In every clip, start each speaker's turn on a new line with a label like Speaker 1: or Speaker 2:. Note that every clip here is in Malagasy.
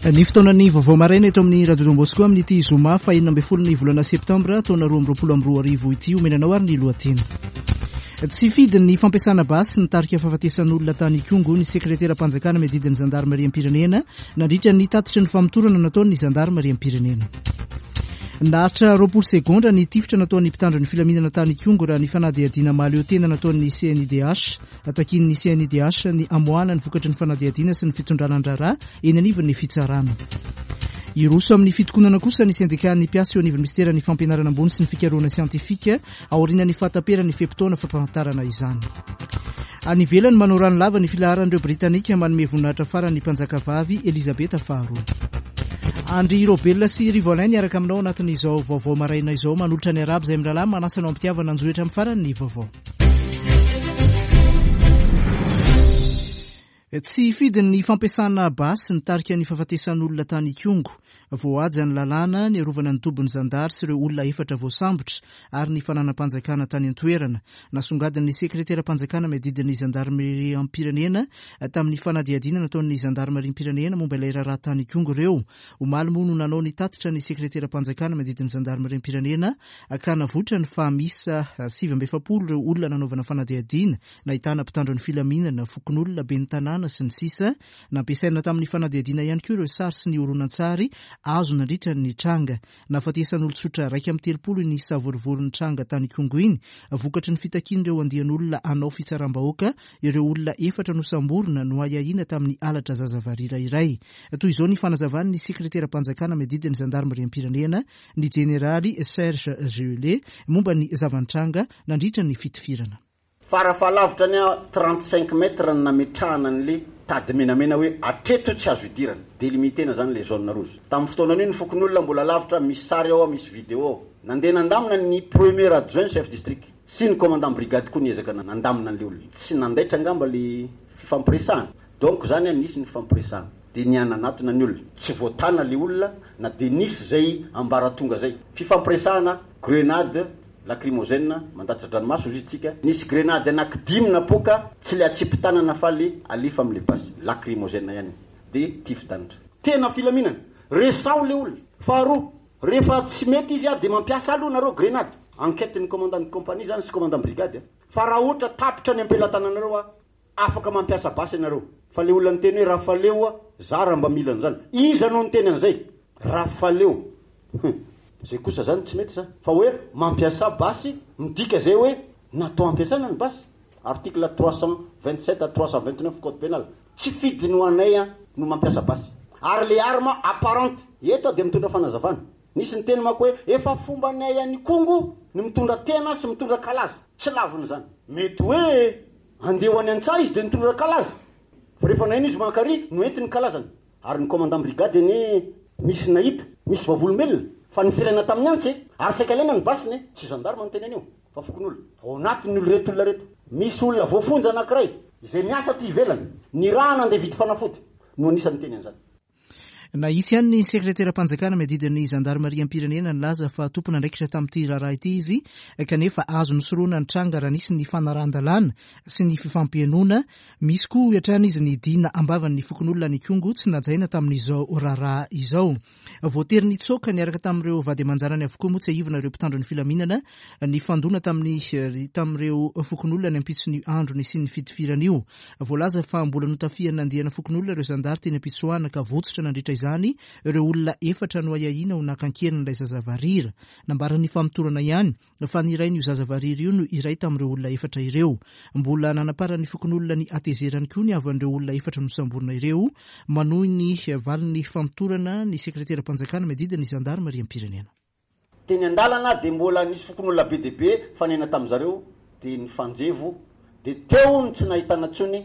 Speaker 1: Ny fotoanan'ny vaovao maraina eto amin'ny Radio Don Bosco amin'ity zoma faha 16 ny volana septambra taona 2022 ity omena anao ary ny lohateny. Tsy fidiny ny fampiasana basy nitarika fahafatesan'olona tany Ikongo ny sekreteram-panjakana miadidy ny zandarimariam-pirenena nandritra ny tatitry ny famotorana nataon'ny zandarimariam-pirenena. Naharitra 20 segondra ny tifitra nataon'ny mpitandro ny filaminana tany Ikongo raha ny fanadihadiana mahaleo tena nataon'ny CNIDH. Takian'ny CNIDH ny hamoahana ny vokatry ny fanadihadiana sy ny fitondrana ny raharaha eny anivon'ny fitsarana. Hiroso amin'ny fitokonana kosa ny sendikan'ny mpiasa eo anivon'ny minisiteran'ny fampianarana ambony sy ny fikarohana siantifika aorian'ny fahataperan'ny fe-potoana fampahafantarana izany. Any ivelany, manao rano lava ny filaharan'ireo Britanika manome voninahitra farany ny mpanjakavavy Elizabeta faharoa. Andry Raobelina sy Rivo Alain niaraka aminao anatin'izao vaovao maraina izao manolotra ny arabo izay mirahalahy manasa anao am-pitiavana anjohy hatramin'ny farany ny vaovao. Tsy fidiny ny fampiasana basy nitarika ny fahafatesan'olona tany Ikongo. Voahaja ny lalàna niarovana ny tobin'ny zandary sy ireo olona efatra voasambotra ary ny fananam-panjakana tany an-toerana. Nasongadin'ny sekreteram-panjakana miadidy ny zandarimeriam-pirenena tamin'ny fanadihadiana nataon'ny zandarimariam-pirenena momba ilay raharaha tany Ikongo ireo. Omaly moa no nanao ny tatitra ny sekreteram-panjakana miadidy ny zandarimariam-pirenena ka navoitrany fa miisa 49 ireo olona nanaovana fanadihadiana nahitana mpitandro ny filaminana, fokonolona, ben'ny tanàna, sy ny sisa Nampiasaina tamin'ny fanadihadiana ihany koa ireo sary sy ny horonantsary azo nandritra ny tranga. Nahafatesan'olon-tsotra 31 iny savorovoro nitranga tany Ikongo iny, vokatry ny fitakian'ireo andian'olona hanao fitsaram-bahoaka ireo olona efatra nosamborina noahiahiana tamin'ny halatra zaza varira iray. Toy izao ny fanazavan'ny sekreteram-panjakana miadidy ny zandarimariam-pirenena, ny jeneraly Serge Gellé, momba ny zava-nitranga nandritra ny fitifirana.
Speaker 2: Farafahalavitra ny a 35 mètres no nametrahana an'le tady menamena hoe hatreto tsy azo idirana, delimiter-na zany le zone rouge. Tamin'ny fotoanan'io ny fokonolona mbola lavitra, misy sary ao, misy vidéo ao. Nandeha nandamina ny premier adjoint chef district sy ny commandant brigade koa niezaka nandamina an'le olona. Tsy nandaitra angamba le fifampiresahana. Donc zany a nisy ny fifampiresahana. Dia nihananatona ny olona. Tsy voatana le olona na dia nisy zay ambaratonga zay. Fifampiresahana, grenade, Lacrymogène, mandatsa-dranomaso hozy tsika, nisy grenady anaky dimy napoaka, tsy le atsipy tanana fa le alefa amle basy, lacrymogène ihany, de tifi-danitra. Tena filaminana, resaho le olona. Faharoa, rehefa tsy mety izy de mampiasa aloha nareo grenady, enquête ny commandant de compagnie zany sy commandant brigade a. Fa raha ohatra tapitra ny ampelatananareo a, Afaka mampiasa basy ianareo. Fa le olona niteny hoe Rafaleo a, za raha mba mila an'izany. Iza no niteny an'izay? Rafaleo. Hum. Zay kosa zany tsy mety zany. Fa hoe mampiasa basy, midika zay hoe natao ampiasaina ny basy. Article 327 à 329 code pénal. Tsy fidiny ho anay an no mampiasa basy. Ary le arme apparente. Eto aho dia mitondra fanazavana. Nisy niteny manko hoe efa fombanay any Ikongo ny mitondra tena sy mitondra kalaza. Tsy lavina izany. Mety hoe Andeha ho any an-tsaha izy dia nitondra kalaza. Fa rehefa naheno izy mankary, noentiny ny kalazany. Ary ny commandant brigade anie nisy nahita, misy vavolombelona, fa nifiraina tamin'ny antsy e! Ary saika alaina ny basiny e! Tsy gendarme no teny an'io, fa fokonolona. Ao anatin'ny olo ireto olona ireto, misy olona voafonja anankiray, izay miasa aty ivelany, nirahana andeha hividy fanafody, no anisan'ny niteny an'izany.
Speaker 1: Nahitsy ihany ny sekreteram-panjakana miadidy ny zandarimariam-pirenena nilaza fa tompon'andraikitra tamin'ity raharaha ity izy kanefa azo nosorohina ny tranga raha nisy ny fanarahan-dalàna sy ny fifampihainoana. Misy koa hoy hatrany izy ny dina am-bavan'ny fokonolona any Ikongo tsy najaina tamin'izao raharaha izao. Voatery nitsoaka niaraka tamin'ireo vady aman-janany avokoa moa tsiahivina ireo mpitandro ny filaminana nifandona tamin'ny tamin'ireo fokonolona ny ampitson'io andro nisian'ny fitifirana io. Voalaza fa mbola notafihan'ny andiana fokonolona ireo zandary teny am-pitsoahana ka votsotra nandritra izany ireo olona efatra noahiahiana ho naka an-keriny ilay zaza varira. Nambaran'ny famotorana ihany fa ny rain'io zaza varira io no iray tamin'ireo olona efatra ireo. Mbola nanaparan'ny fokonolona ny hatezerany koa ny havan'ireo olona efatra nosamborina ireo. Manohy ny valin'ny famotorana ny sekreteram-panjakana miadidy ny zandarimariam-pirenena.
Speaker 2: Teny an-dalana dia mbola nisy fokonolona be dia be nifanena tamin-dry zareo dia nifanjevo dia teo no tsy nahitana intsony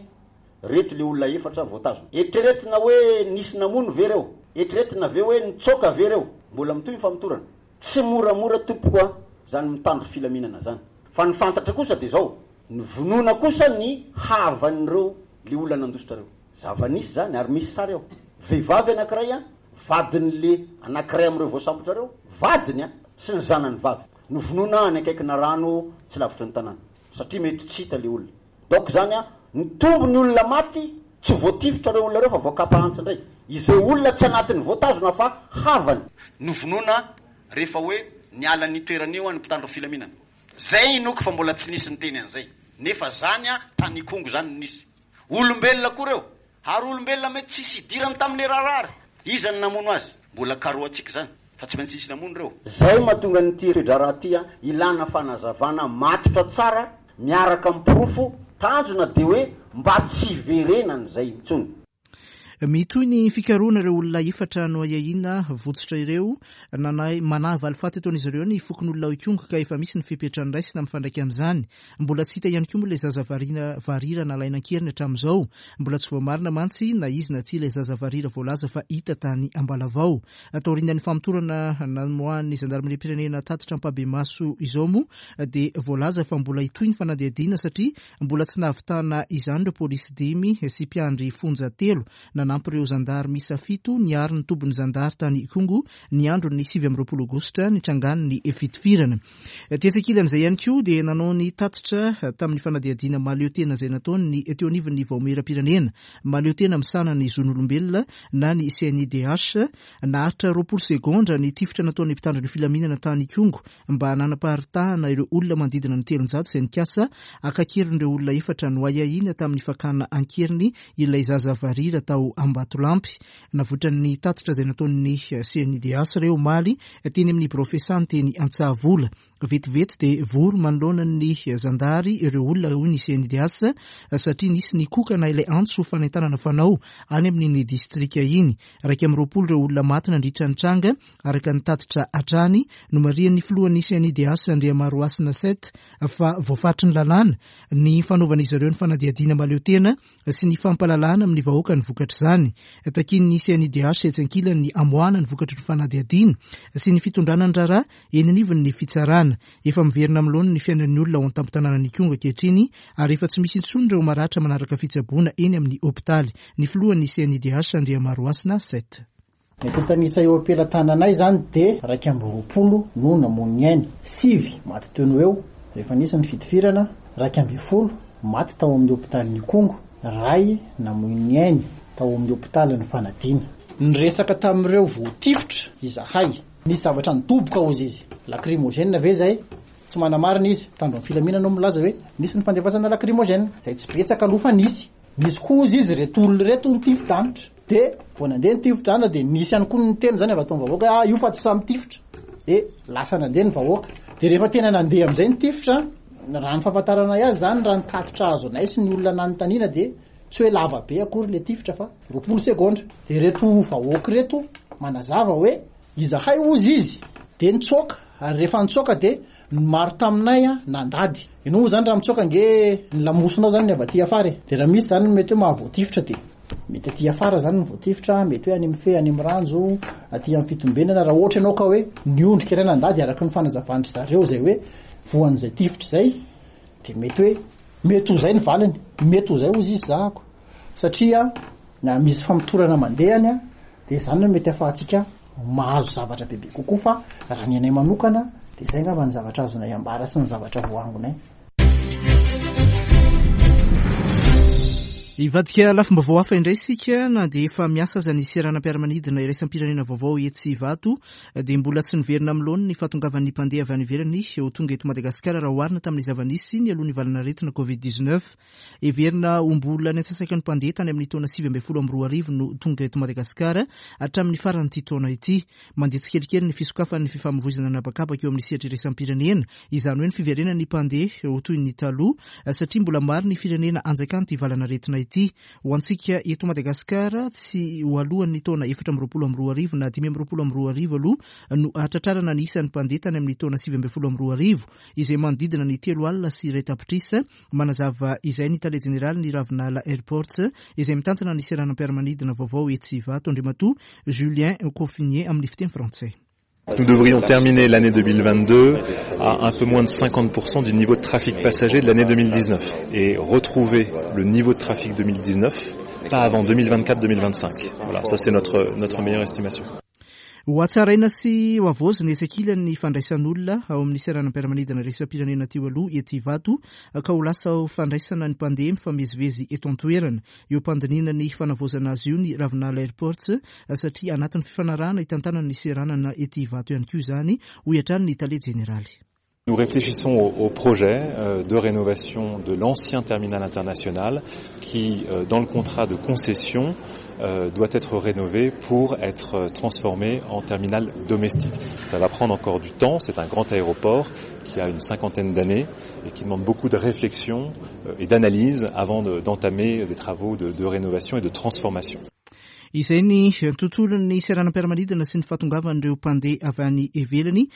Speaker 2: reto le olona efatra voatazona. Eritreretina hoe nisy namono ve reo? Eritreretina ve hoe nitsoaka ve reo? Mbola mitohy ny famotorana. Tsy moramora tompoko a zany mitandro filaminana zany. Fa ny fantatra kosa dia zao, novonoina kosa ny havan'ireo le olona nandositra reo. Zava-nisy zany ary misy sary ao. Vehivavy anakiray a, vadin'le anakiray amin'ireo voasambotra reo, vadiny a, sy ny zanany vavy. Novonoina any akaikina rano tsy lavitry ny tanàna. Satria mety tsy hita le olona. Donc zany a, nitombo ny olona maty. Tsy voatifitra ireo olona ireo fa voakapa antsy indray. Izay olona tsy anatin'ny voatazona fa havany. Novonoina rehefa hoe niala ny toerana io ny mpitandro filaminana. Zay inoako fa mbola tsy nisy niteny an'izay. Nefa zany tany Ikongo zany no nisy. Olombelona koa reo. Ary olombelona mety tsisy idirany tamin'le raharaha ary. Iza no namono azy? Mbola karohantsika zany. Fa tsy maintsy nisy namono reo. Zay mahatonga an'ity toe-draharaha ity ilana fanazavana matotra tsara miaraka amin'ny porofo, tanjona dia hoe mba tsy hiverenan'izay intsony.
Speaker 1: Mitohy ny fikarohana ireo olona efatra noahiahiana votsotra ireo. Nanahy manahy valifaty ataon'izy ireo ny fokonolona ao Ikongo ka efa misy ny fepetra noraisina mifandraika amin'izany. Mbola tsy hita ihany koa moa ilay zaza variana varira nalaina an-keriny hatramin'izao. Mbola tsy voamarina mantsy na izy na tsia ilay zaza varira voalaza fa hita tany Ambalavao. Taorian'ny famotorana namoahan'ny zandarimariam-pirenena tatitra ampahibemaso izao moa dia voalaza fa mbola hitohy ny fanadihadiana satria mbola tsy nahavitana izany ireo polisy dimy sy mpiandry fonja telo nanampy ireo zandary miisa fito niaro ny tobin'ny zandary tany Ikongo ny andron'ny 29 aogositra nitrangan'ny fitifirana. Tetsy ankilan'izay ihany koa dia nanao ny tatitra tamin'ny fanadihadiana mahaleo tena izay nataony ny teo anivon'ny Vaomieram-pirenena mahaleo tena misahana ny zon'olombelona na ny CNIDH. Naharitra 20 segondra ny tifitra nataon'ny mpitandro ny filaminana tany Ikongo mba nanaparitahana ireo olona manodidina ny 300 izay nikasa haka an-keriny ireo olona efatra noahiahiana tamin'ny fakana an-keriny ilay zaza varira tao Ambatolampy. Navoitran'ny tatitra izay nataon'ny CNIDH ireo omaly teny amin'ny birao fiasany teny Antsahavola. Vetivety dia vory manoloana ny zandary ireo olona hoy ny CNIDH satria nisy nikokana ilay antso fanentanana fanao any amin'iny distrika iny. 21 ireo olona maty nandritra ny tranga araka ny tatitra hatrany. Nomarihan'ny filohan'ny CNIDH Andriamarohasina Seth fa voafaritry ny lalàna ny fanaovan'izy ireo ny fanadihadiana mahaleo tena sy ny fampahalalana amin'ny vahoaka ny vokatr'izany. Takian'ny CNIDH etsy ankilany ny hamoahana ny vokatry ny fanadihadiana sy ny fitondrana ny raharaha eny anivon'ny fitsarana. Efa miverina amin'ny laoniny ny fiainan'ny olona ao an-tampon-tanànan'Ikongo ankehitriny ary efa tsy misy intsony ireo maratra manaraka fitsaboana eny amin'ny hopitaly. Ny filohan'ny CNIDH Andriamarohasina Seth.
Speaker 3: Ny antontan'isa eo am-pelatananay izany dia 21 no namono ny ainy, sivy maty teo no eo rehefa nisy ny fitifirana, 11 maty tao amin'ny hopitalin'Ikongo, iray namoy ny ainy tao amin'ny hopitalin'i Fanadina. Niresaka tamin'ireo voatifitra izahay. Nisy zavatra nidoboka hozy izy. Lacrymogène ve izay? Tsy manamarina izy. Mpitandro ny filaminana no milaza hoe nisy ny fandefasana lacrymogène. Izay tsy betsaka aloha fa nisy. Nisy koa hozy izy ireto olona ireto nitifi-danitra. Dia vao nandeha ny tifitra dia nisy ihany koa ny niteny izany avy ato amin'ny vahoaka hoe ah io fa tsy samy tifitra. Dia lasa nandeha ny vahoaka. Dia rehefa tena nandeha amin'izay ny tifitra, raha ny fahafantaranay azy izany, raha ny tatitra azonay sy ny olona nanontaniana dia tsy hoe lava be akory ilay tifitra fa 20 segondra. Dia ireto vahoaka ireto manazava hoe izahay hozy izy dia nitsoaka ary rehefa nitsoaka dia Ny maro taminay nandady. Ianao moa zany raha mitsoaka ange ny lamosinao zany ny avy aty afara e. Dia raha misy zany ny mety hoe mahavoatifitra dia mety aty afara zany ny voatifitra, mety hoe any amin'ny fe, any amin'ny ranjo, aty amin'ny fitombenana, raha ohatra ianao ka hoe niondrika iray nandady araka ny fanazavan-dry zareo izay hoe voan'izay tifitra izay dia mety hoe mety ho izay ny valiny, mety ho izay hozy izy zahako satria na misy famotorana mandeha any dia izany no mety ahafahantsika mahazo zavatra bebe kokoa fa raha ny anay manokana dia izay angamba ny zavatra azonay ambara sy ny zavatra voaangonay.
Speaker 1: Hivadika lafim-baovao hafa indray isika na dia efa miasa aza ny seranam-piaramanidina iraisam-pirenena vaovao etsy Ivato dia mbola tsy niverina amin'ny laoniny ny fahatongavan'ny mpandeha avy any ivelany ho tonga eto Madagasikara raha oharina tamin'ny zava-nisy nialoha ny valan'aretina Covid 19. Heverina ho mbola ny antsasaky ny mpandeha tany amin'ny taona 2019 no tonga eto Madagasikara hatramin'ny faran'ity taona ity. Mandeha tsikelikely ny fisokafan'ny fifamoivoizana an'habakabaka eo amin'ny sehatra iraisam-pirenena, izany hoe ny fiverenan'ny mpandeha ho toy ny taloha satria mbola maro ny firenena anjakan'ity valan'aretina ity. Ho antsika eto Madagasikara, tsy ho alohan'ny taona 2024 na 2025 aloha no hahatratrarana ny isan'ny mpandeha tany amin'ny taona 2019 izay manodidina ny 130 tapitrisa. Manazava izay ny tale jeneralin'ny Ravinala Airports izay mitantana ny seranam-piaramanidina vaovao etsy Ivato, Andriamatoa Julien Coffinier amin'ny fiteny frantsay.
Speaker 4: Nous devrions terminer l'année 2022 à un peu moins de 50% du niveau de trafic passager de l'année 2019 et retrouver le niveau de trafic 2019 pas avant 2024-2025. Voilà, ça c'est notre, notre meilleure estimation.
Speaker 1: Ho hatsaraina sy ho havaozina etsy ankilany ny fandraisan'olona ao amin'ny seranam-piaramanidina iraisam-pirenena teo aloha etsy Ivato ka ho lasa ho fandraisana ny mpandeha mifamezivezy eto an-toerana. Eo am-pandinihana ny fanavaozana azy io ny Ravinala Airports satria anatin'ny fifanarahana hitantanana ny seranana ety Ivato ihany koa izany, hoy hatrany ny tale jeneraly.
Speaker 4: Nous réfléchissons au projet de rénovation de l'ancien terminal international qui, dans le contrat de concession, doit être rénové pour être transformé en terminal domestique. Ça va prendre encore du temps, c'est un grand aéroport qui a une cinquantaine d'années et qui demande beaucoup de réflexion et d'analyse avant d'entamer des travaux de rénovation et de transformation.
Speaker 1: Izay ny tontolon'ny seranam-piaramanidina sy ny fahatongavan'ireo mpandeha avy any ivelany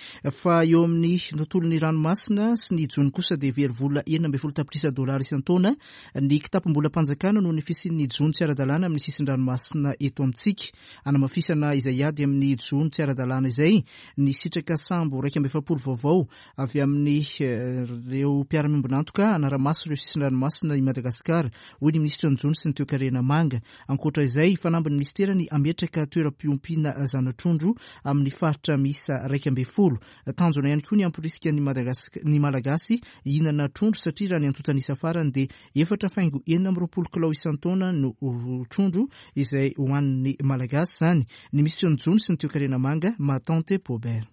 Speaker 1: fa eo amin'ny tontolon'ny ranomasina sy ny jono kosa dia very vola 16 tapitrisa dolara isan-taona ny kitapom-bolam-panjakana noho ny fisian'ny jono tsy ara-dalàna amin'ny sisin-dranomasina eto amintsika. Hanamafisana izay ady amin'ny jono tsy ara-dalàna izay ny sitraka sambo 41 vaovao avy amin'ireo mpiara-miombon'antoka hanara-maso ireo sisin-dranomasina i Madagasikara, hoy ny minisitry ny jono sy ny toekarena manga. Ankoatra izay, fanambin'ny minisitera ny hametraka toeram-piompiana zana-trondro amin'ny faritra miisa 11. Tanjona ihany koa ny hamporisika ny ny Malagasy hihinana trondro satria raha ny antontan'isa farany dia 4,26 kilao isan-taona no trondro izay hohanin'ny Malagasy izany. Ny minisitry ny jono sy ny toekarena manga, Mahatante Paubert.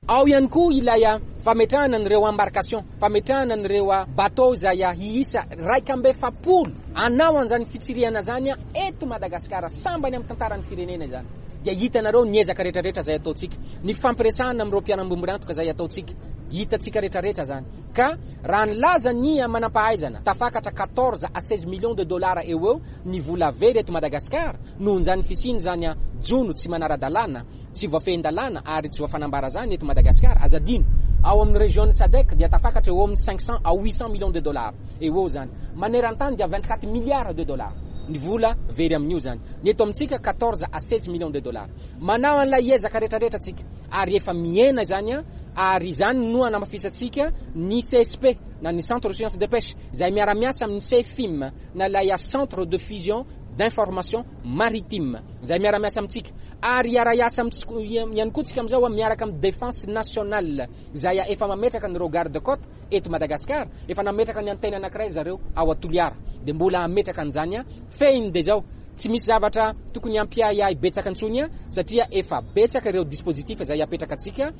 Speaker 5: Ao ihany koa ilay fametrahana an'ireo embarcation, fametrahana an'ireo bateau izay hiisa 41 hanao an'izany fitsirihana izany eto Madagasikara, sambany amin'ny tantaran'ny firenena izany. Dia hitanareo ny ezaka rehetrarehetra izay ataontsika, ny fifampiresahana amin'ireo mpiara-miombon'antoka izay ataontsika, hitantsika rehetrarehetra izany. Ka raha nilaza ny manampahaizana, tafakatra 14 à 16 millions de dollars eo ho eo ny vola very eto Madagasikara nohon'izany fisian'izany jono tsy manara-dalàna, Tsy voafehin-dalàna ary tsy voafanambara zany eto Madagasikara, aza adino, ao amin'ny région-n'ny Sadec dia tafakatra eo amin'ny 500 à 800 millions de dollars eo ho eo zany. Maneran-tany dia 24 milliards de dollars ny vola very amin'io zany. Ny eto amintsika 14 à 16 millions de dollars. Manao an'ilay ezaka retraretra tsika ary efa mihena izany ary izany no anamafisantsika ny CSP na ny Centre de Sciences de Pêche izay miara-miasa amin'ny CFIM na ilay Centre de Fusion d'Information Maritime izay miara-miasa amintsika. Ary hiara-hiasa amintsika ihany koa tsika amin'izao miaraka amin'ny Défense Nationale izay efa mametraka an'ireo garde côte eto Madagascar, efa nametraka ny antenne anankiray zareo ao Toliara, dia mbola hametraka an'izany fehiny dia izao, tsy misy zavatra tokony hampiahiahy betsaka intsony satria efa betsaka ireo dispositif izay apetraka antsika.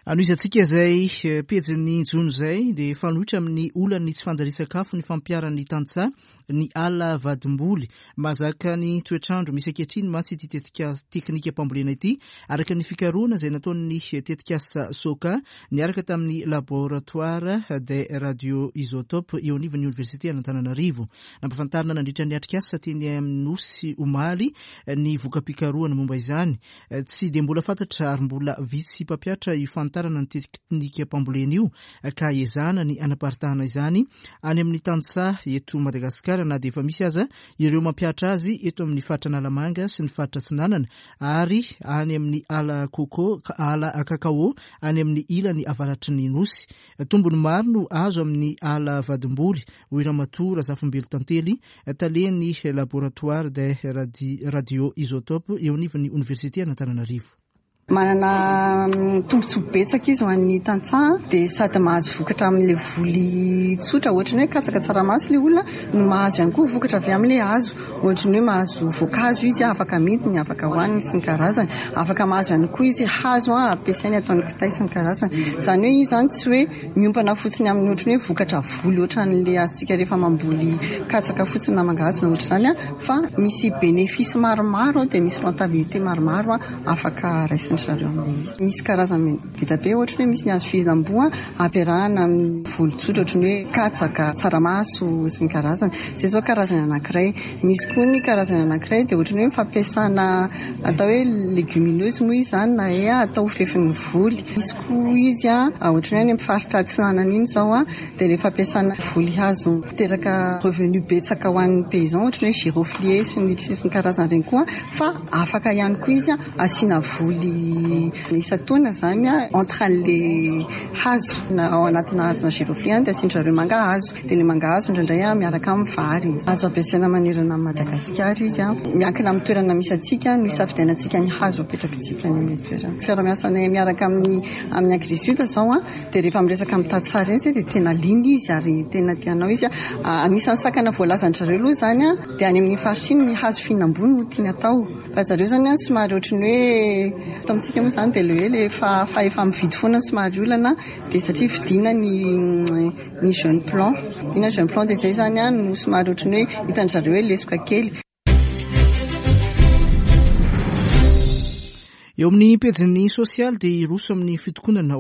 Speaker 1: Anohizantsika izay pejin'ny jono izay dia fanoitra amin'ny olan'ny tsy fanjarian-tsakafo ny fampiharan'ny tantsaha ny ala vadimboly. Mahazaka ny toetr'andro misy ankehitriny mantsy ity tetika teknikam-pambolena ity araka ny fikarohana izay nataon'ny tetikasa Soka niaraka tamin'ny Laboratoire des radioisotopes eo anivon'ny Oniversite an'Antananarivo. Nampafantarina nandritra ny atrikasa teny amin'ny Nosy omaly ny voka-pikarohana momba izany. Tsy dia mbola fantatra ary mbola vitsy mpampiatra io fanitarana ny teknikam-pambolena io ka ezahana ny hanaparitahana izany any amin'ny tantsaha eto Madagasikara na dia efa misy aza ireo mampihatra azy eto amin'ny faritra Analamanga sy ny faritra Atsinanana ary any amin'ny ala coco, ala cacao any amin'ny ilany avaratry ny Nosy. Tombony maro no azo amin'ny ala vadimboly, hoy Ramatoa Razafimbelo Tantely, talen'ny Laboratoire des radioisotopes eo anivon'ny Oniversite an'Antananarivo.
Speaker 6: Manana tombontsoa betsaka izy ho an'ny tantsaha dia sady mahazo vokatra amin'ilay voly tsotra ohatran'ny hoe katsaka tsaramaso ilay olona no mahazo ihany koa vokatra avy amin'ilay hazo ohatran'ny hoe mahazo voankazo izy afaka amidiny afaka hohaniny sy ny karazany afaka mahazo ihany koa izy hazo ampiasainy ataony kitay sy ny karazany izany hoe izy izany tsy hoe Miompana fotsiny amin'ny ohatran'ny hoe vokatra voly ohatran'ilay azontsika rehefa mamboly katsaka fotsiny na mangahazo na ohatr'izany fa misy bénéfice maromaro dia misy rentabilité maromaro afaka raisin-dry zareo amin'ilay izy. Misy karazany be dia be ohatra hoe misy ny hazo fihinam-boa ampiarahana amin'ny voly tsotra ohatran'ny hoe katsaka, tsaramaso sy ny karazany. Izay izao karazany anankiray. Misy koa ny karazany anankiray dia ohatran'ny hoe fampiasana atao hoe légumineuse moa izy izany na hoe atao fefin'ny voly. Misy koa izy ohatran'ny hoe any amin'ny faritra atsinanana iny izao dia ilay fampiasana voly hazo miteraka revenu betsaka ho an'ny paysan ohatran'ny hoe giroflier sy ny sy ny karazany ireny koa fa afaka ihany koa izy asiana voly. Isan-taona izany entre an'ilay hazo na ao anatina hazona girofle dia asian-dry zareo mangahazo. Dia ilay mangahazo indraindray miaraka amin'ny vary. Azo ampiasaina manerana an'i Madagasikara izy. Miankina amin'ny toerana misy antsika no isafidianantsika ny hazo apetrakitsika any amin'ilay toerana. Fiaraha-miasanay miaraka amin'ny amin'ny Agrisud izao dia rehefa miresaka amin'ny tantsaha ireny izay dia tena liana izy ary tena te hanao izy. Anisan'ny sakana voalazan-dry zareo aloha izany dia any amin'ny faritra iny ny hazo fihinam-boa no tiany atao. Fa zareo izany somary ohatran'ny hoe eto amintsika moa izany dia ilay hoe ilay fahefa-mividy foana no somary olana dia satria vidiana ny ny jeune plan. Vidiana jeune plan dia izay izany no somary ohatran'ny hoe hitan-dry zareo hoe lesoka kely.
Speaker 1: Eo amin'ny pejin'ny sosialy dia hiroso amin'ny fitokonana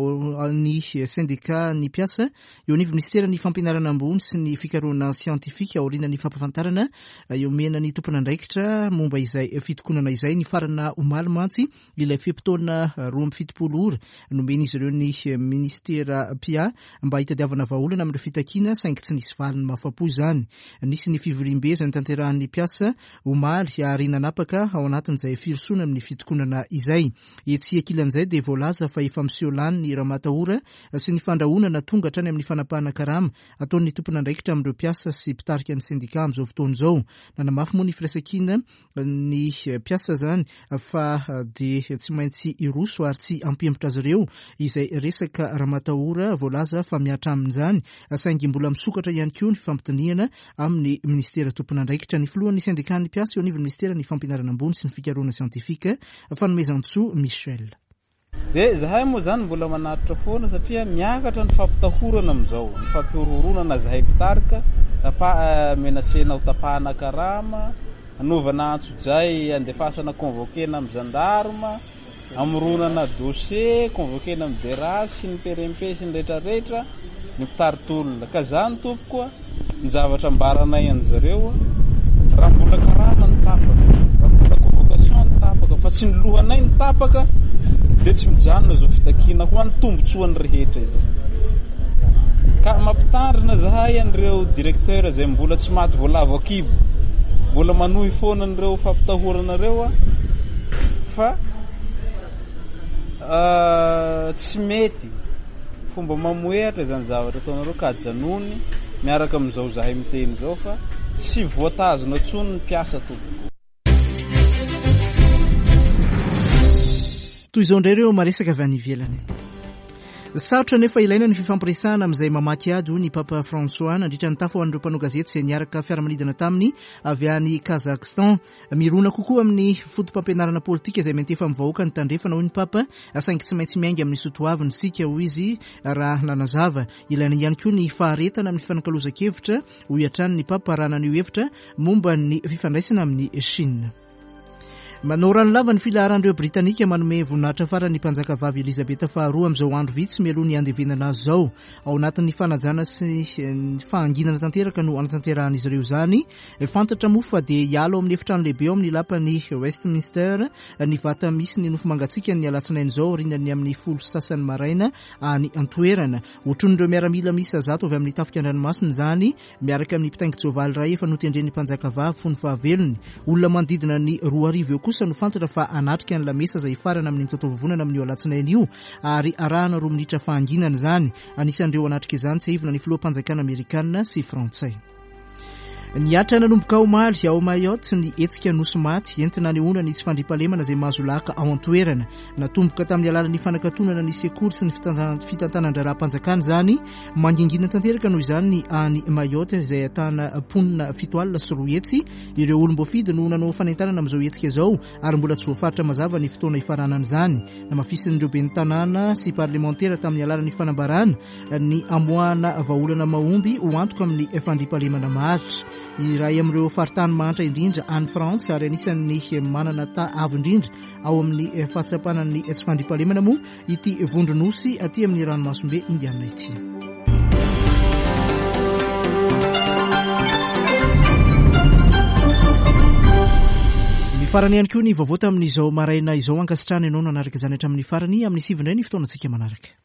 Speaker 1: ny sendika ny mpiasa eo anivon'ny minisiteran'ny fampianarana ambony sy ny fikarohana siantifika aorian'ny fampahafantarana omena ny tompon'andraikitra momba izay fitokonana izay. Nifarana omaly mantsy ilay fe-potoana 72 ora nomen'izy ireo ny minisitera mpiahy mba hitadiavana vahaolana amin'ireo fitakiana saingy tsy nisy valiny mahafapo izany. Nisy ny fivoriambe izay notanterahan'ny mpiasa omaly ary nanapaka ao anatin'izay firosoana amin'ny fitokonana izay. Etsy ankilan'izay dia voalaza fa efa miseho lany ny ramatahora sy ny fandrahonana tonga hatrany amin'ny fanapahana karama ataon'ny tompon'andraikitra amin'ireo mpiasa sy mpitarika ny sendika amin'izao fotoana izao. Nanamafy moa ny firaisankina ny mpiasa izany fa dia tsy maintsy hiroso ary tsy hampihemotra azy ireo izay resaka ramatahora voalaza fa mihatra amin'izany saingy mbola misokatra ihany koa ny fifampidinihana amin'ny minisitera tompon'andraikitra. Ny filohan'ny sendikan'ny mpiasa eo anivon'ny minisiteran'ny fampianarana ambony sy ny fikarohana siantifika, Fanomezantsoa Michel.
Speaker 7: Dia zahay moa zany mbola manatitra foana satria miakatra ny fampitahorana amin'izao, ny fampihorohoroana na zahay mpitarika, tapa menacena ho tapahana karama, anaovana antsojay andefasana convoquena amin'ny gendarme, amoronana dossier, convoquena amin'ny DRH sy ny PRMP sy ny retraretra ny mpitari-tolona. Ka zany tompoko a, Ny zavatra ambaranay an'zareo raha mbola karama ny tapaka, raha mbola convocation ny tapaka fa tsy ny lohanay ny tapaka dia tsy mijanona izao fitakiana ho an'ny tombotsoan'ny rehetra izao. Ka mampitandrina zahay an'ireo directeur izay mbola tsy maty voalavo an-kibo, mbola manohy foana an'ireo fampitahorana ireo fa tsy mety. Fomba mamohehatra izany zavatra ataonareo ka ajanony miaraka amin'izao zahay miteny izao fa tsy voatazona intsony ny mpiasa tompoko.
Speaker 1: Toy izao indray ireo maresaka avy any ivelany. Sarotra nefa ilaina ny fifampiresahana amin'izay mamaky ady hoy ny Papa François nandritra ny tafa ho an'ireo mpanao gazety izay niaraka fiaramanidina taminy avy any Kazakhstan. Mirona kokoa amin'ny foto-pampianarana politika izay miantefa amin'ny vahoaka ny tandrefana, hoy ny Papa, saingy tsy maintsy miainga amin'ny soa toavina isika, hoy izy raha nanazava. Ilaina ihany koa ny faharetana amin'ny fifanakalozan-kevitra, hoy hatrany ny Papa raha naneho hevitra momba ny fifandraisana amin'i Chine. Manao ranolava ny filaharan'ireo Britanika manome voninahitra farany ny mpanjakavavy Elizabeth faharoa amin'izao andro vitsy mialoha ny handevenana azy izao. Ao anatin'ny fanajana sy ny fahanginana tanteraka no hanatanterahan'izy ireo izany. Fantatra moa fa dia hiala ao amin'ny efitrano lehibe ao amin'ny lapan'i Westminster ny vata misy ny nofo mangatsiaka ny alatsinainy izao aorian'ny amin'ny 10:30 maraina any an-toerana. Hotronin'ireo miaramila miisa 100 avy amin'ny tafika an-dranomasina izany miaraka amin'ny mpitaingin-tsoavaly iray efa notendren'ny mpanjakavavy fony fahavelony. Olona manodidina ny 2000 eo kosa no fantatra fa hanatrika ny lamesa izay hifarana amin'ny mitataovovonana amin'io alatsinainy io ary arahana roa minitra fahanginana izany. Anisan'ireo hanatrika izany tsiahivina ny filoham-panjakana amerikana sy frantsay. Nihatra nanomboka omaly ao Mayotte ny hetsika Nosy Maty entina hanehoana ny tsy fandriampahalemana izay mahazo laka ao an-toerana. Natomboka tamin'ny alalan'ny fanakatonana ny sekoly sy ny fitantanan-draharaham-panjakana izany. Mangingina tanteraka noho izany ny any Mayotte izay ahitana mponina 207. Ireo olom-boafidy no nanao fanentanana amin'izao hetsika izao ary mbola tsy voafaritra mazava ny fotoana hifaranan'izany. Namafisin'ireo ben'ny tanàna sy parlemantera tamin'ny alalan'ny fanambarana ny hamoahana vahaolana mahomby ho antoka amin'ny fandriampahalemana maharitra. Iray amin'ireo faritany mahantra indrindra any Frantsa ary anisan'ny manana taha avo indrindra ao amin'ny fahatsapana ny tsy fandriampahalemana moa ity vondronosy aty amin'ny ranomasimbe Indiana ity. Mifarana ihany koa ny vaovao tamin'izao maraina izao. Ankasitrahana ianao nanaraka izany hatramin'ny farany. Amin'ny sivy indray ny fotoanantsika manaraka.